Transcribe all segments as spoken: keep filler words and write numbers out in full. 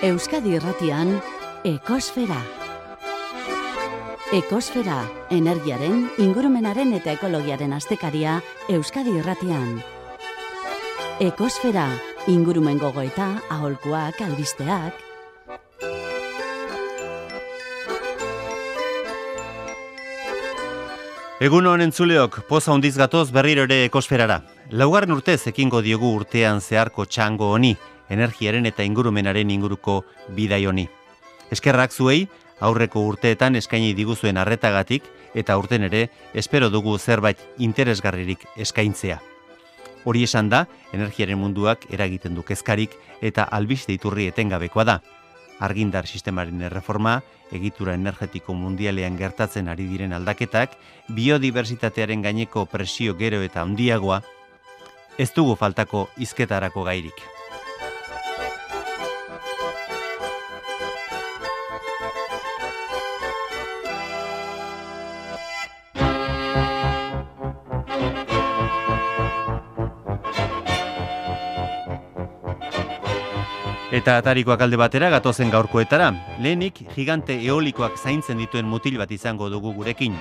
Euskadi Irratian, Ekosfera. Ekosfera, energiaren, ingurumenaren eta ekologiaren astekaria Euskadi Irratian. Ekosfera, ingurumen gogoeta, aholkuak, albisteak. Egun honen entzuleok, poza hundiz gatoz berriro ere ekosferara. Laugarren urtez ekingo diogu urtean zeharko txango honi, energiaren eta ingurumenaren inguruko bidai honi. Eskerrak zuei, aurreko urteetan eskaini diguzuen arretagatik, eta urten ere, espero dugu zerbait interesgarririk eskaintzea. Hori esan da, energiaren munduak eragiten du kezkarik eta albiste iturri etengabekoa da. Argindar sistemaren erreforma, egitura energetiko mundialean gertatzen ari diren aldaketak, biodibertsitatearen gaineko presio gero eta handiagoa, ez dugu faltako hizketarako gairik. Eta atarikoak alde batera gatozen gaurkoetara, lehenik gigante eolikoak zaintzen dituen mutil bat izango dugu gurekin.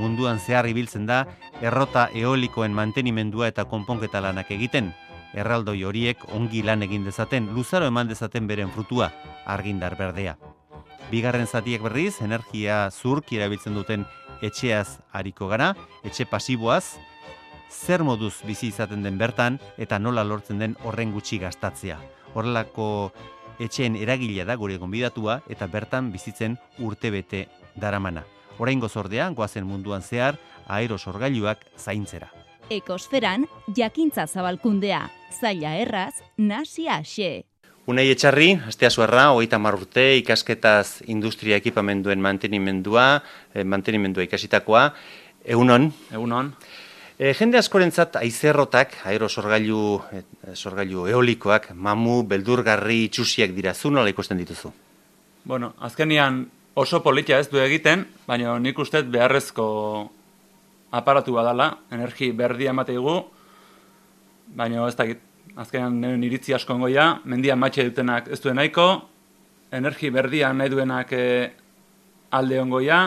Munduan zehar ibiltzen da, errota eolikoen mantenimendua eta konponketa lanak egiten. Erraldoi horiek ongi lan egin dezaten, luzaro eman dezaten beren frutua, argindar berdea. Bigarren zatiak berriz, energia zurk erabiltzen duten etxeaz hariko gara, etxe pasiboaz, zer moduz bizi izaten den bertan eta nola lortzen den horren gutxi gastatzea. Horrelako etxeen eragilea da gure gonbidatua eta bertan bizitzen urtebete daramana. Oraingoz ordea, goazen munduan zehar, aerosorgailuak zaintzera. Ekosferan, jakintza zabalkundea, zaila erraz, nasia xe. Unai Etxarri, astea zuerra, hogeita hamar urte, ikasketaz industria ekipamenduen mantenimendua, eh, mantenimendua ikasitakoa. Egunon? Egunon. E, jende askorentzat aizerrotak, aerosorgailu e, sorgailu eolikoak, mamu, beldurgarri, itxusiak dira, zu nola ikusten dituzu? Bueno, azkenian oso politia ez du egiten, baina nik uste beharrezko aparatu badala, energi berdia emateigu, baina ez dakit, azkenean nire iritzi asko ongoia, mendian matxe dutenak ez duen nahiko, energi berdia nahi duenak e, alde ongoia,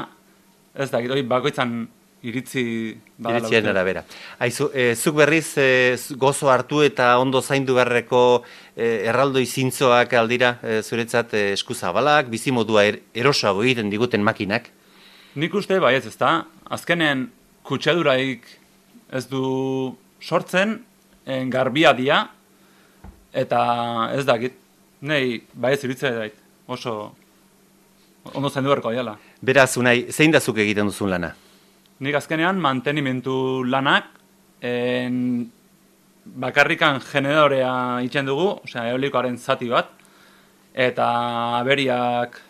ez dakit, hori bakoitzan iritzi badala. Iritzien arabera. Aizu, e, zuk berriz e, gozo hartu eta ondo zaindu beharreko e, erraldoi zintzoak aldira e, zuretzat e, eskuzabalak, bizimodua er, erosoago egiten diguten makinak? Nik uste bai ez ezta, azkenen kutsaduraik ez du sortzen, en garbia dia, eta ez dakit, nahi bai ez iritzea dait, oso ondo zaindu beharko diala. Beraz, Unai, zein da zuk egiten duzun lana? Nik azkenean mantenimentu lanak, en, bakarrikan generorea itxen dugu, osea, eolikoaren zati bat, eta aberiak,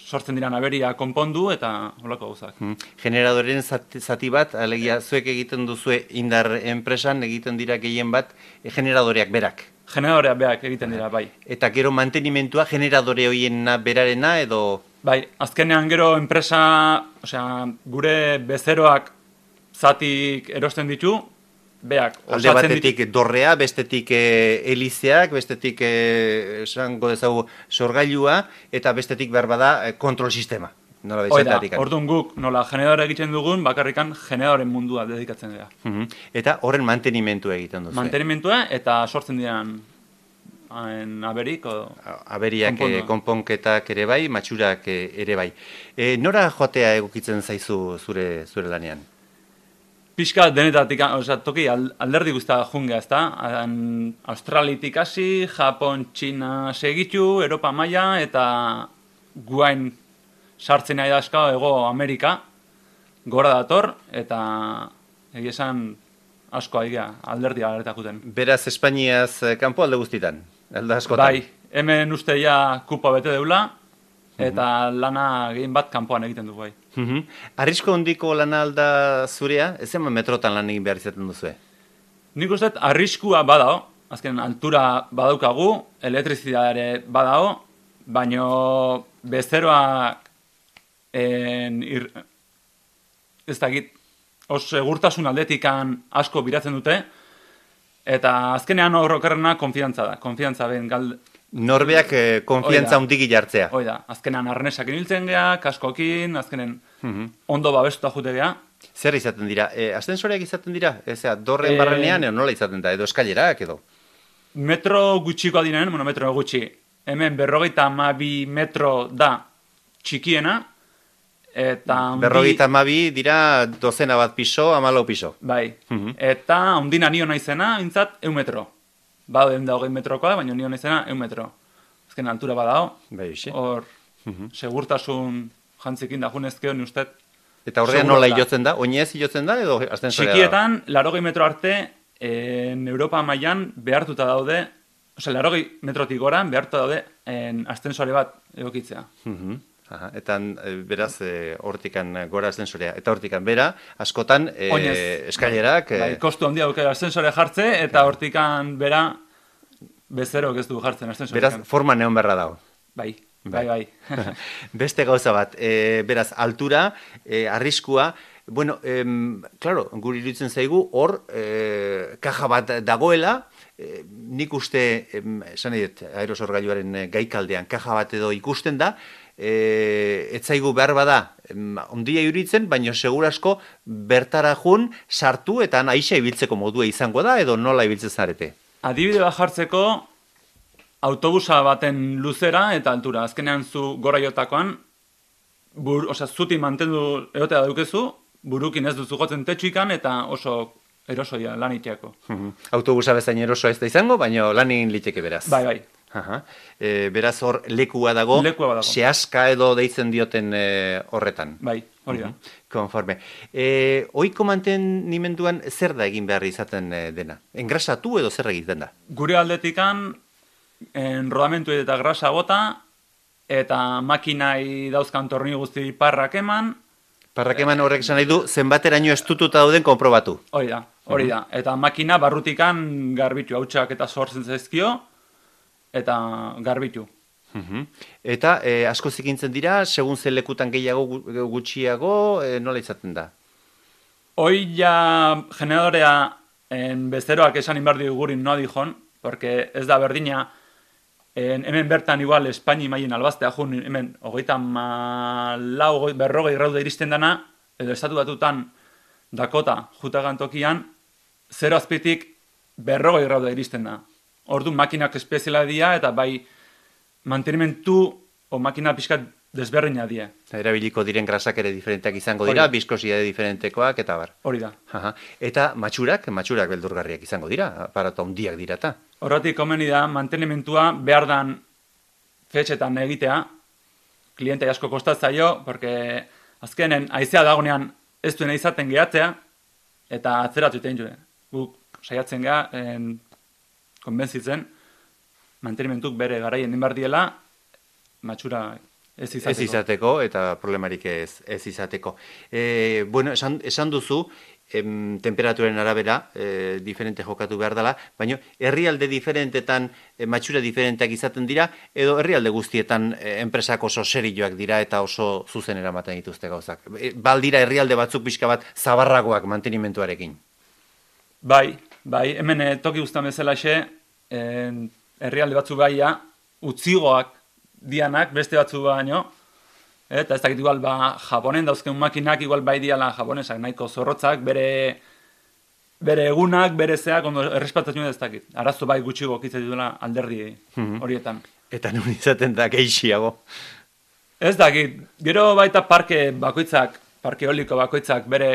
sortzen diran aberiak konpondu, eta holako gauzak. Hmm. Generadoren zati, zati bat, alegia, zuek egiten duzue indar enpresan, egiten dira gehien bat, e, generadoreak berak. Generadoreak berak egiten dira, bai. Eta gero mantenimentua generadore hoiena berarena, edo... Bai, azkenean gero enpresa, osea, gure bezeroak zatik erosten ditu, beak alde batetik ditu. Dorrea, bestetik e, elizeak, bestetik e, esango dezagu sorgailua, eta bestetik behar bada e, kontrol sistema. Nola Oida, orduan guk nola generadore egiten dugun, bakarrikan generadoren mundua dedikatzen dira. Uh-huh. Eta horren mantenimentua egiten duzu. Mantenimentua eta sortzen diran en aberik o aberiak e, konponketak ere bai, matxurak e, ere bai. E, nora joatea egokitzen zaizu zure zure lanean? Pixka denetatik, osea, toki alderdi guztia jungea, ezta? Australitik hasi, Japon, Txina segitu, Europa maila eta guain sartzen nahi dauzka Hego Amerika gora dator eta egia esan asko aigia alderdi alertakuten. Beraz Espainiaz kanpo alde guztitan. Alda askotan. Bai, hemen uste ja kupa bete deula, eta uh-huh. lana gehien bat kanpoan egiten du bai. Uh-huh. Arrisko hondiko lana alda zurea, ez eman metrotan lan egin behar izaten duzue? Nik uste arriskua badao, azken altura badaukagu, elektrizidade badao, baino bezeroak en, ir, ez dakit, os segurtasun aldetikan asko biratzen dute, eta azkenean horrokerrena konfiantza da, konfiantza ben gal, Norbeak eh, konfiantza hundigi jartzea. Hoi da, azkenan arnesak iniltzen geha, kaskokin, azkenen Mhm. ondo babestuta jute geha. Zer izaten dira? E, ascensoreak izaten dira? Ezea, dorren Eh, barrenean edo nola izaten da? Edo eskailerak edo? Metro gutxikoa diren, bueno, metro gutxi. Hemen berrogeita hamabi metro da txikiena, eta handi- Berrogeita hamabi dira dozena bat piso, hamalau piso. Bai, Mhm. eta ondina nio naizena, bintzat, eun metro. Ba, da hogei metrokoa, baina nio naizena, eun metro. Azken altura badao, Bai, xe. hor, Mhm. segurtasun jantzikin da junezkeo, ni ustez. Eta horrean seguro nola da. ilotzen da? Oinez ilotzen da edo ascensorea da? Txikietan, larogei metro arte, en Europa mailan behartuta daude, osea, larogei metrotik gora behartuta daude en ascensore bat egokitzea. Mhm. Aha, eta e, beraz e, hortikan gora ascensorea. Eta hortikan bera, askotan e, Oinez. eskailerak... e, Bai, kostu handia duke ascensore jartze, eta hortikan bera bezerok ez du jartzen ascensorean. beraz, forma neon berra dago. Bai, bai, bai. Beste gauza bat, e, beraz, altura, e, arriskua, bueno, em, claro, guri iruditzen zaigu, hor, e, kaja bat dagoela, e, nik uste, em, esan nahi dut, aerosorgailuaren e, gaikaldean, kaja bat edo ikusten da, e, etzaigu behar bada, em, ondia iruditzen, baina segurasko bertara jun, sartu, eta aixa ibiltzeko modua izango da, edo nola ibiltzen zarete? Adibide bat jartzeko, autobusa baten luzera eta altura. Azkenean zu gora jotakoan, bur, osea, zuti mantendu egotea daukezu, burukin ez duzu jotzen tetsuikan eta oso erosoia lan iteako. Mhm. Autobusa bezain erosoa ez da izango, baina lanin liteke beraz. Bai, bai. Aha. E, beraz hor lekua dago, Lekua badago. sehaska edo deitzen dioten e, horretan. Bai, hori da. Konforme. E, oiko mantenimenduan zer da egin behar izaten e, dena? Engrasatu edo zer egiten da? Gure aldetikan, en rodamentu eta grasa bota, eta makinai dauzkan torni guzti parrak eman, Parrak eman horrek esan nahi du, zenbateraino estututa dauden konprobatu. hori da, hori da. Eta makina barrutikan garbitu, hautsak eta sortzen zaizkio, eta garbitu. Mhm. Eta e, asko zikintzen dira, segun zen lekutan gehiago gu- gutxiago, e, nola izaten da? Hoi ja generadorea en bezeroak esan inbardi gurin no dijon, porque ez da berdina, en, hemen bertan igual Espaini maien albaztea jun, hemen hogeita malau, hogei- berrogei raude iristen dana, edo estatu batutan Dakota jutagan tokian, zero azpitik berrogei raude iristen da. Ordu makinak espeziala dira, eta bai mantenimentu o makina pixkat desberdina die. Erabiliko diren grasak ere diferenteak izango dira, Hori. biskosidade diferentekoak eta bar. Hori da. Aha. Eta matxurak, matxurak beldurgarriak izango dira, aparato handiak dira eta. Horretik komeni da, mantenimentua behar dan fetxetan egitea, klientai asko kostatzaio, porque azkenen haizea dagonean ez duena izaten gehatzea, eta atzeratu egiten jure. Guk saiatzen geha, en, konbentzitzen, mantenimentuk bere garaien din behar diela, matxura ez izateko. Ez izateko, eta problemarik ez, ez izateko. E, bueno, esan, esan duzu, em, temperaturen arabera, e, diferente jokatu behar dela, baina herrialde diferentetan e, matxura diferenteak izaten dira, edo herrialde guztietan e, enpresak oso serioak dira eta oso zuzen eramaten dituzte gauzak. E, baldira herrialde batzuk pixka bat zabarragoak mantenimentuarekin. Bai, bai, hemen eh, toki guztan bezalaxe, en, herrialde batzu baia, utzigoak dianak, beste batzu baino, eta ez dakit igual ba, Japonen dauzken makinak igual bai diala japonesak, nahiko zorrotzak, bere, bere egunak, bere zeak, ondo errespatatzen ez dakit. Arazo bai gutxi gokitzen dituela alderdi horietan. Eta nun izaten da geixiago. Ez dakit, gero baita parke bakoitzak, parke eoliko bakoitzak bere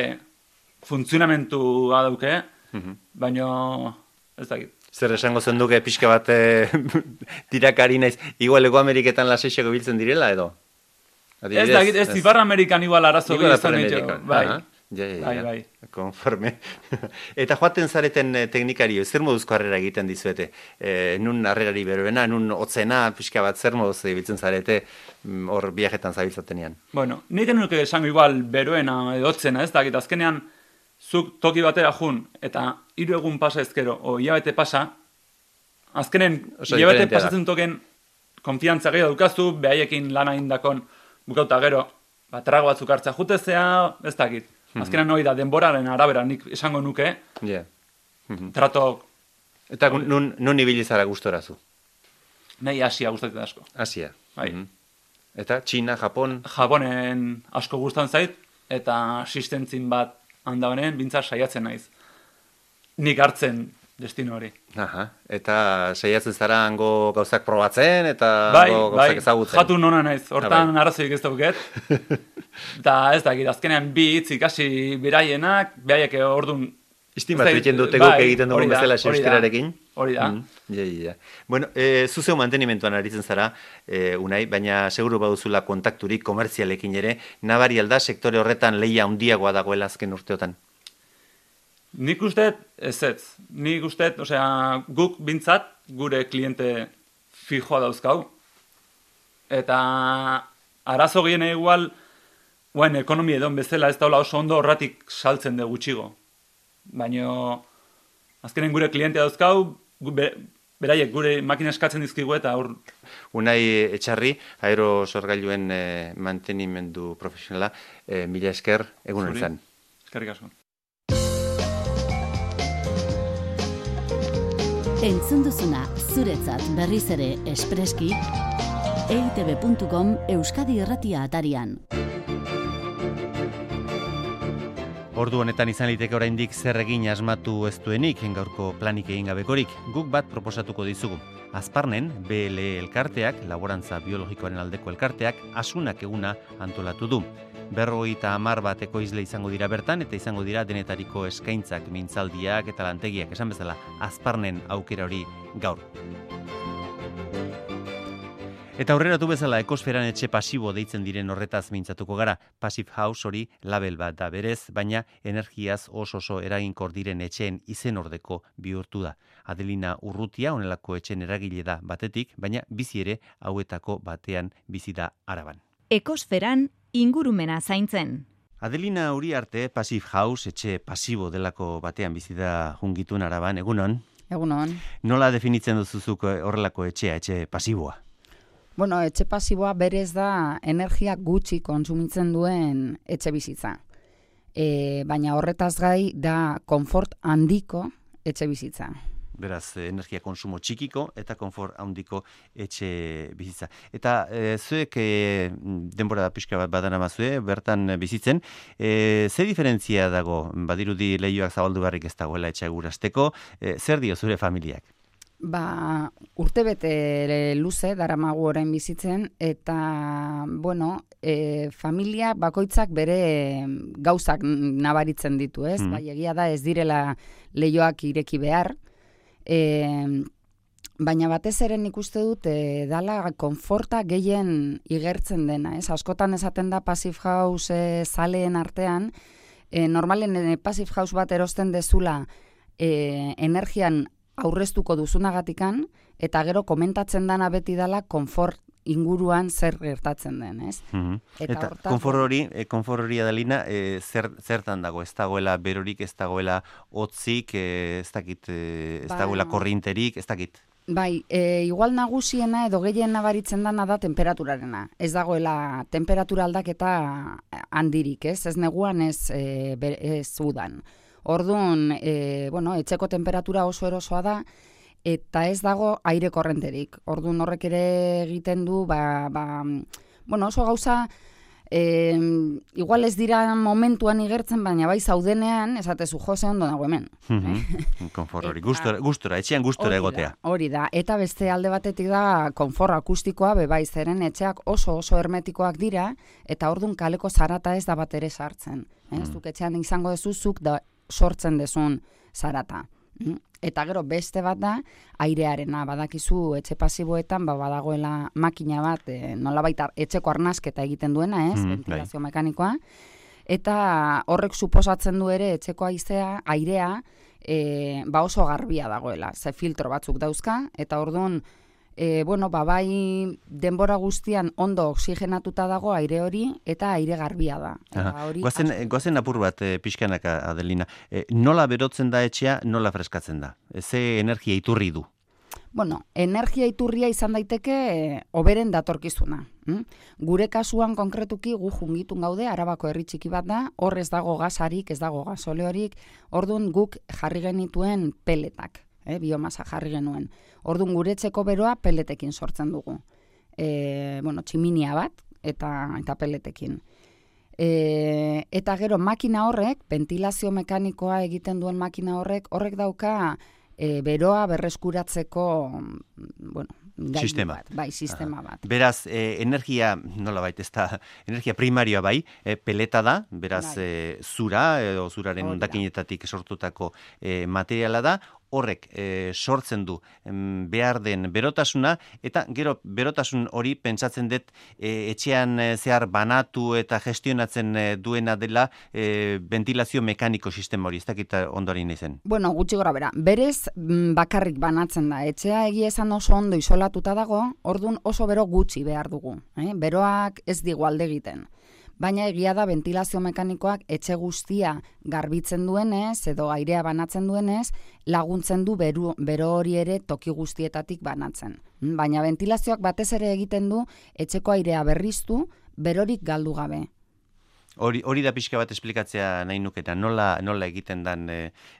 funtzionamentua dauke, baino ez dakit. Zer esango zenduke pixka bat e, tirakari naiz, igual Ego Ameriketan laseixako biltzen direla edo? Ez dakit, ez Ipar Amerikan igual arazo Igual izan ditu. Amerikan, Bai, aha. Ja, ja, bai, ja. bai. Konforme. Eta joaten zareten eh, teknikari, zer moduzko harrera egiten dizuete? E, nun harrerari beroena, nun hotzena, pixka bat zer moduz ibiltzen zarete mm, hor viajetan zabiltzatenean? Bueno, nik enuke esango igual beroena edo hotzena, ez dakit, azkenean zuk toki batera jun, eta hiru egun pasa ezkero, o hilabete pasa, azkenen Oso hilabete diferentea da. pasatzen token konfiantza gehiago dukazu, behaiekin lana indakon bukauta gero, ba, trago batzuk hartzea jutezea, ez dakit. Azkenean hori da, denboraren arabera nik esango nuke, Ja. trato, Eta nun, nun ibili zara gustorazu? nahi Asia gustatzen asko. Asia. Bai. Mhm. Eta Txina, Japon? Japonen asko gustatzen zait, eta asistentzin bat handa honen, bintza saiatzen naiz. Nik hartzen destino hori. Aha, eta saiatzen zara hango gauzak probatzen, eta bai, hango bai, gauzak ezagutzen. jatu nona naiz, hortan ah, bai. arazoik ez dauket. Eta ez dakit, azkenean bi hitz ikasi beraienak, behaiek ordun Istimatu egiten dute guk egiten dugun bezala euskararekin. Hori da. Mm, ja, ja. Bueno, e, zuzeu mantenimentuan aritzen zara, e, Unai, baina seguru baduzula kontakturik komertzialekin ere, nabari alda sektore horretan lehia handiagoa dagoela azken urteotan. Nik uste, ez ez. Nik uste, osea, guk bintzat, gure kliente fijoa dauzkau. Eta arazo gien igual, guen ekonomia edon bezala ez daula oso ondo horratik saltzen de gutxigo. Baina azkenen gure klientea dauzkau, be, beraiek gure makina eskatzen dizkigu eta hor... Unai Etxarri, aero sorgailuen e, mantenimendu profesionala, e, mila esker, egunen zan. Eskerrik asko. Entzun duzuna zuretzat berriz ere espreski, e i te be puntu com Euskadi Irratia atarian. Ordu honetan izan liteke oraindik zer egin asmatu ez duenik, gaurko planik egin gabekorik, guk bat proposatuko dizugu. Azparnen, B L E elkarteak, laborantza biologikoaren aldeko elkarteak, asunak eguna antolatu du. Berrogeita hamar bat ekoizle izango dira bertan, eta izango dira denetariko eskaintzak, mintzaldiak eta lantegiak, esan bezala, Azparnen aukera hori gaur. Eta aurreratu bezala ekosferan etxe pasibo deitzen diren horretaz mintzatuko gara. Passive House hori label bat da berez, baina energiaz oso oso eraginkor diren etxeen izen ordeko bihurtu da. Adelina Urrutia honelako etxeen eragile da batetik, baina bizi ere hauetako batean bizi da Araban. Ekosferan ingurumena zaintzen. Adelina Uriarte, Passive House etxe pasibo delako batean bizi da jungitun Araban, egunon? Egunon. Nola definitzen duzuzuk horrelako etxea, etxe pasiboa? Bueno, etxe pasiboa berez da energia gutxi kontsumitzen duen etxe bizitza. E, baina horretaz gai da konfort handiko etxe bizitza. Beraz, energia konsumo txikiko eta konfort handiko etxe bizitza. Eta e, zuek e, denbora pixka bat badan amazue, bertan bizitzen, e, ze diferentzia dago? Badirudi lehioak zabaldu barrik ez dagoela etxe gurasteko, e, zer dio zure familiak? Ba, urtebete luze daramagu orain bizitzen, eta, bueno, e, familia bakoitzak bere gauzak nabaritzen ditu, ez? Mm. Bai, egia da ez direla leihoak ireki behar, e, baina batez ere nik uste dut e, dala konforta gehien igertzen dena, ez? Askotan esaten da Passive House e, zaleen artean, e, normalen e, Passive House bat erosten dezula e, energian aurreztuko duzunagatikan, eta gero komentatzen dana beti dala konfort inguruan zer gertatzen den, ez? Mm-hmm. Eta, eta hortaz, konfort hori, e, konfort hori Adelina, e, zer, zertan dago? Ez dagoela berorik, ez dagoela hotzik, e, ez dakit, e, ez ba, dagoela korrinterik, ez dakit? Bai, e, igual nagusiena edo gehien nabaritzen dana da temperaturarena. Ez dagoela temperatura aldaketa handirik, ez? Ez neguan, ez, e, ez udan. Orduan, e, bueno, etxeko temperatura oso erosoa da, eta ez dago aire korrenterik. Orduan horrek ere egiten du, ba, ba, bueno, oso gauza, e, igual ez dira momentuan igertzen, baina bai zaudenean, esatezu jose ondo dago hemen. Mm-hmm. Konfort hori, gustora, gustora, etxean gustora egotea. Hori da, eta beste alde batetik da konfort akustikoa, bebai zeren etxeak oso oso hermetikoak dira, eta orduan kaleko zarata ez da bat ere sartzen. Mm. Ez duk etxean izango dezuzuk da sortzen dezun zarata. Eta gero beste bat da, airearena, badakizu etxe pasiboetan, ba, badagoela makina bat, e, nolabait etxeko arnasketa egiten duena, ez, mm, ventilazio bai. Mekanikoa, eta horrek suposatzen du ere etxeko haizea, airea, e, ba oso garbia dagoela, ze filtro batzuk dauzka, eta orduan, E, bueno, ba, bai denbora guztian ondo oxigenatuta dago aire hori eta aire garbia da. Eta hori goazen, goazen apur bat e, pixkanaka, Adelina. E, nola berotzen da etxea, nola freskatzen da? E, ze energia iturri du? Bueno, energia iturria izan daiteke e, oberen datorkizuna. Hm? Gure kasuan konkretuki gu jungitun gaude, Arabako herri txiki bat da, hor ez dago gasarik, ez dago gasoleorik, orduan guk jarri genituen peletak. eh, biomasa jarri genuen. Orduan gure etxeko beroa peletekin sortzen dugu. E, bueno, tximinia bat eta, eta peletekin. E, eta gero makina horrek, ventilazio mekanikoa egiten duen makina horrek, horrek dauka e, beroa berreskuratzeko, bueno, sistema bat, bai, sistema Aha. bat. Beraz, eh, energia, nola baita, ez da, energia primarioa bai, eh, peleta da, beraz, Bai. eh, zura, edo zuraren Hori da. hondakinetatik sortutako eh, materiala da, horrek eh, sortzen du em, behar den berotasuna, eta gero berotasun hori pentsatzen dut eh, etxean eh, zehar banatu eta gestionatzen eh, duena dela eh, ventilazio mekaniko sistema hori, ez dakit ondorin izen. Bueno, gutxi gora bera, berez mm, bakarrik banatzen da. Etxea egia esan oso ondo isolatuta dago, ordun oso bero gutxi behar dugu. Eh? Beroak ez digu alde egiten. Baina egia da ventilazio mekanikoak etxe guztia garbitzen duenez edo airea banatzen duenez laguntzen du beru, bero hori ere toki guztietatik banatzen. Baina ventilazioak batez ere egiten du etxeko airea berriztu berorik galdu gabe. Hori, hori da pixka bat esplikatzea nahi nuketa, nola, nola egiten dan e,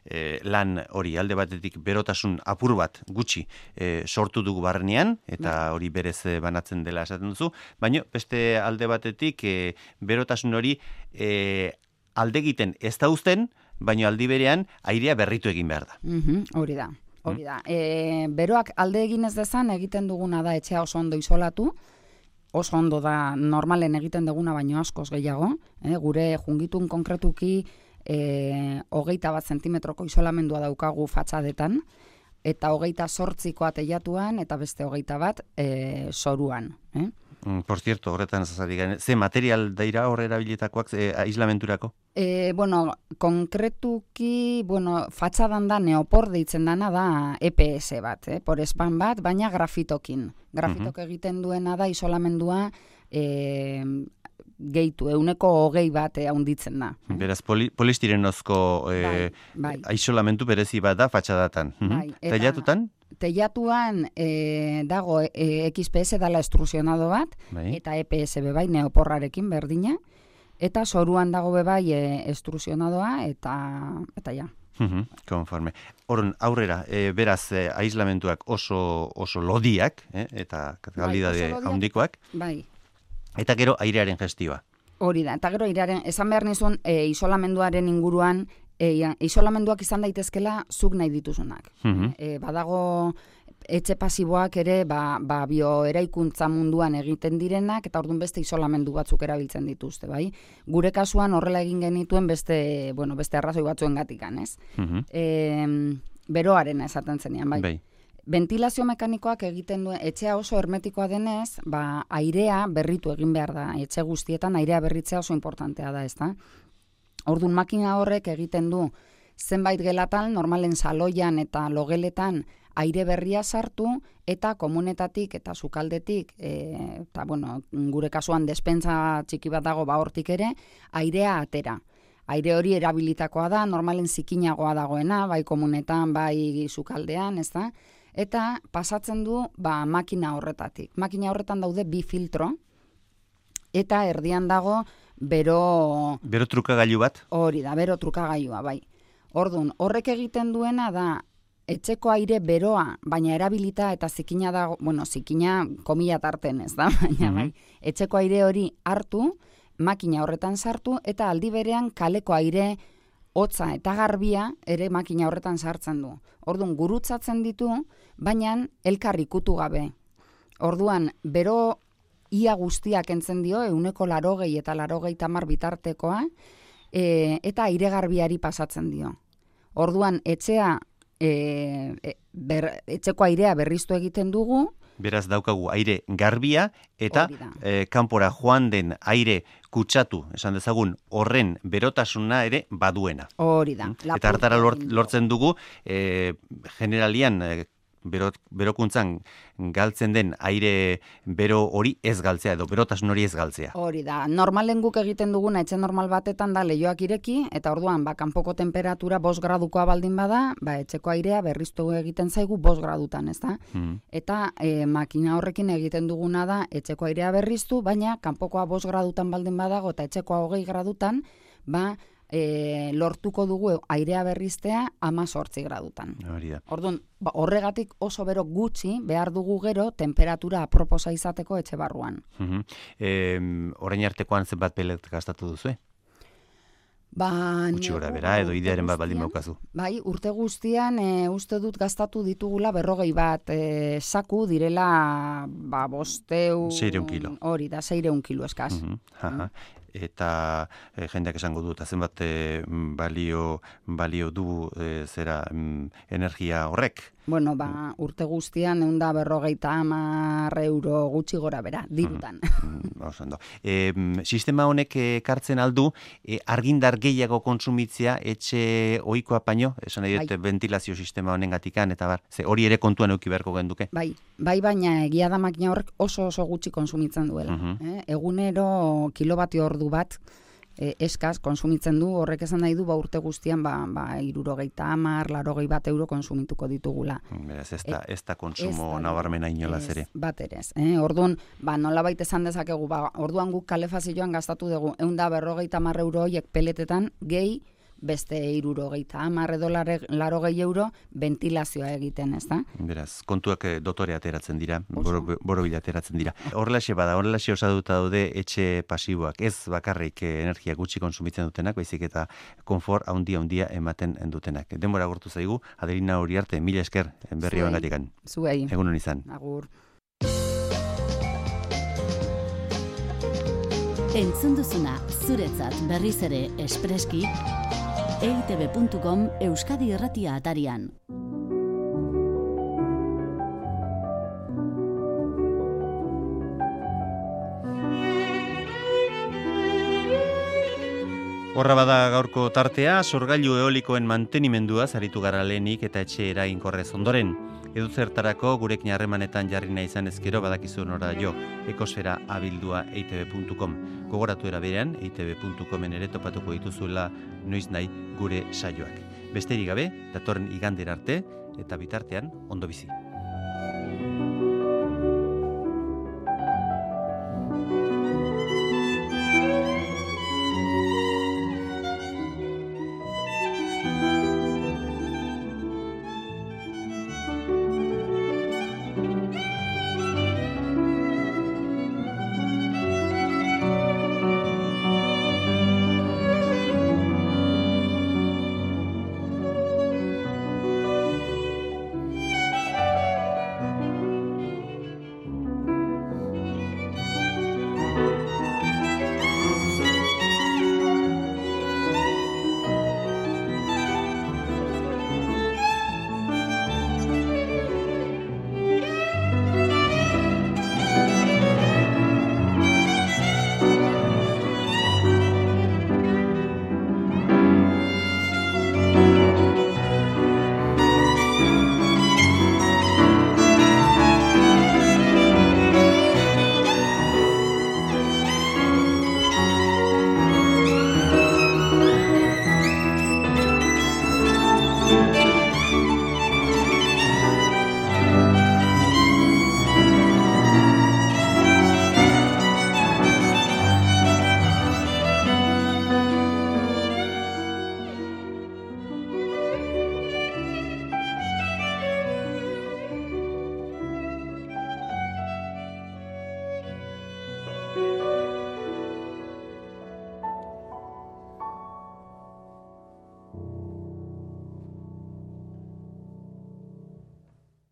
e, lan hori, alde batetik berotasun apur bat gutxi e, sortu dugu barnean, eta hori berez e, banatzen dela esaten duzu, baina beste alde batetik e, berotasun hori e, alde egiten ez da uzten, baina aldi berean airea berritu egin behar da. Mhm, hori da. Hori da. E, beroak alde egin ez dezan egiten duguna da etxea oso ondo isolatu, oso ondo da normalen egiten duguna baino askoz gehiago, eh? Gure jungitun konkretuki e, hogeita bat zentimetroko isolamendua daukagu fatxadetan, eta hogeita sortzikoa teilatuan, eta beste hogeita bat e, soruan. Eh? Mm, por cierto, horretan zazari gane, ze material daira horre erabilitakoak e, aislamenturako? E, bueno, konkretuki, bueno, fatxadan da neopor deitzen dana da E P S bat, eh? Porespan bat, baina grafitokin. Grafitok uh-huh. egiten duena da isolamendua e, gehitu, euneko hogei bat e, haunditzen da. Eh? Beraz, poli, polistirenozko e, bai, bai. aisolamentu berezi bat da fatxadatan. Bai, eta- Teilatutan? Teilatuan e, dago e, X P S dala estrusionado bat, Bai. eta E P S bebai neoporrarekin berdina, eta soruan dago bebai e, estrusionadoa, eta, eta ja. Mhm, konforme. Horren, aurrera, e, beraz, e, aislamentuak oso, oso lodiak, eh, eta kalidade oso lodiak. handikoak, Bai, eta gero airearen gestioa. hori da. Eta gero iraren, esan behar nizun, e, isolamenduaren inguruan, e, ja, isolamenduak izan daitezkela zuk nahi dituzunak. Mhm. E, badago etxe pasiboak ere ba, ba bioeraikuntza munduan egiten direnak, eta orduan beste isolamendu batzuk erabiltzen dituzte, bai? Gure kasuan horrela egin genituen beste, bueno, beste arrazoi batzuengatikan, ez? Mhm. E, beroarena esaten zenean, bai? Bai. Ventilazio mekanikoak egiten duen, etxea oso hermetikoa denez, ba, airea berritu egin behar da. Etxe guztietan airea berritzea oso importantea da, ez da? Orduan makina horrek egiten du zenbait gelatan, normalen saloian eta logeletan aire berria sartu, eta komunetatik eta sukaldetik, e, eta bueno, gure kasuan despensa txiki bat dago ba hortik ere, airea atera. Aire hori erabilitakoa da, normalen zikinagoa dagoena, bai komunetan, bai sukaldean, ez da? Eta pasatzen du ba, makina horretatik. Makina horretan daude bi filtro, eta erdian dago bero... Bero trukagailu bat? Hori da, bero trukagailua, bai. Ordun, horrek egiten duena da, etxeko aire beroa, baina erabilita eta zikina dago, bueno, zikina komila tarten ez da, baina Mhm. bai, etxeko aire hori hartu, makina horretan sartu, eta aldi berean kaleko aire hotza eta garbia ere makina horretan sartzen du. Orduan, gurutzatzen ditu, baina elkar ikutu gabe. Orduan, bero ia guztiak entzen dio, euneko larogei eta larogei tamar bitartekoa, e, eta aire garbiari pasatzen dio. Orduan, etxea, e, e, ber, etxeko airea berriztu egiten dugu, Beraz daukagu aire garbia, eta Hori da. eh, kanpora joan den aire kutsatu, esan dezagun, horren berotasuna ere baduena. hori da. Eta hartara lort- lortzen dugu, eh, generalian, eh, bero, berokuntzan galtzen den aire bero hori ez galtzea, edo berotasun hori ez galtzea. Hori da, normalen guk egiten duguna etxe normal batetan da leihoak ireki, eta orduan, ba, kanpoko temperatura bost gradukoa baldin bada, ba, etxeko airea berriztu egiten zaigu bost gradutan, ez da? Mm. Eta e, makina horrekin egiten duguna da etxeko airea berriztu, baina kanpokoa bost gradutan baldin badago eta etxekoa hogei gradutan, ba, e, lortuko dugu airea berriztea amazortzi gradutan. Hori da. Orduan, ba, horregatik oso bero gutxi behar dugu gero temperatura aproposa izateko etxe barruan. Uh-huh. E, orain artekoan zenbat pelet gastatu duzu, eh? Ba, Gutxi gora bera, edo idearen bat baldin baukazu. Bai, urte guztian e, uste dut gastatu ditugula berrogei bat e, saku direla ba, bosteu... Seireun kilo. Hori da, seireun kilo eskaz. Uh-huh. Uh-huh. Eta e, jendeak esango du, eta zenbat e, balio, balio du e, zera mm, energia horrek? Bueno, ba, urte guztian ehun eta berrogeita hamar euro gutxi gora bera, dirutan. Mm, e, sistema honek ekartzen aldu, e, argindar gehiago kontsumitzea etxe ohikoa baino, esan nahi dut ventilazio sistema honen gatikan, eta bar, ze hori ere kontuan euki beharko genduke? Bai, bai baina egia da makina horrek oso oso gutxi konsumitzen duela. Uh-huh. eh? Egunero kilobatio ordu bat, E, eskaz, konsumitzen du, horrek esan nahi du, ba, urte guztian, ba, ba irurogeita hamar, larogei bat euro konsumituko ditugula. Beraz, ez da, ez da konsumo nabarmena inolaz ere. Bat ere, eh? Orduan, ba, nolabait esan dezakegu, ba, orduan guk kalefazioan gastatu dugu, ehun eta berrogeita hamar euro horiek peletetan, gehi, beste irurogeita hamar edo larogei euro ventilazioa egiten, ez da? Beraz, kontuak dotore ateratzen dira, boro, boro bila ateratzen dira. Horrelaxe bada, horrelaxe osatuta daude etxe pasiboak, ez bakarrik energia gutxi konsumitzen dutenak, baizik eta konfort handia handia ematen dutenak. Denbora agortu zaigu, Adelina Uriarte, mila esker berri honen gatikan. Zuei. Egunon izan. Agur. Entzun duzuna, zuretzat berriz ere espreski, e i te be puntu com Euskadi Irratia atarian. Horra bada gaurko tartea, sorgailu eolikoen mantenimendua zaritu gara lehenik eta etxe eraginkorrez ondoren. Eduzertarako gurekin harremanetan jarri nahi izan ezkero badakizu nora jo, ekosfera abildua e i te be puntu com. Gogoratu eraberean, e i te be puntu comen ere topatuko dituzuela noiz nahi gure saioak. Besterik gabe, datorren igandera arte, eta bitartean ondo bizi.